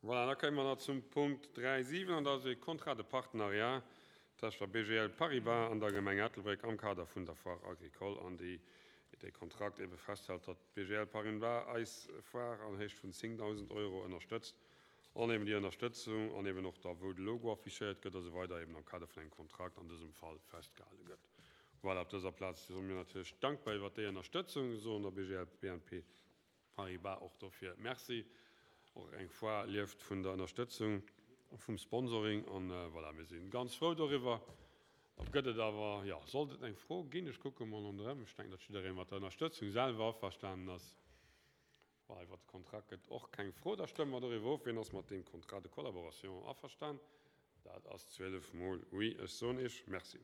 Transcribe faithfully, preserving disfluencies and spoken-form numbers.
Voilà, da komme mer nach zum Punkt dräi Punkt siwen, an dat ass e Contrat de partenariat tëscht der B G L Paribas an der Gemeng Ettelbréck am Kader vun der Foire agricole, an déi dee Kontrakt ebe festhält, datt d'B G L Paribas eis Foire an Héicht vun zéngdausend Euro ënnerstëtzt, an eben déi Ënnerstëtzung an eben och da wou de Logo affichéiert gëtt a sou weider eben am Kader vun engem Kontrakt an dësem Fall festgehale gëtt. Voilà, op dëser Plaz soe mir natierlech dankbar iwwert déi Ënnerstëtzung, soen der B G L B N P Paribas och dofir Merci. Och eng Foire lieft vun der Ënnerstëtzung vum Sponsoring an voilà, mir si ganz frou doriwwer. Gëtt et awer, jo, sollt et eng Fro ginn, ech kucke mol ronderëm, ech denken, datt jidderee mat der Ënnerstëtzung selwer averstanen ass. Voilà, iwwert de Kontrakt gëtt och keng Fro, da stëmme mer doriwwer of. Wien ass mat deem Contrat de collaboration averstan? Dat ass zwielef mol oui. Ech soen Iech Merci.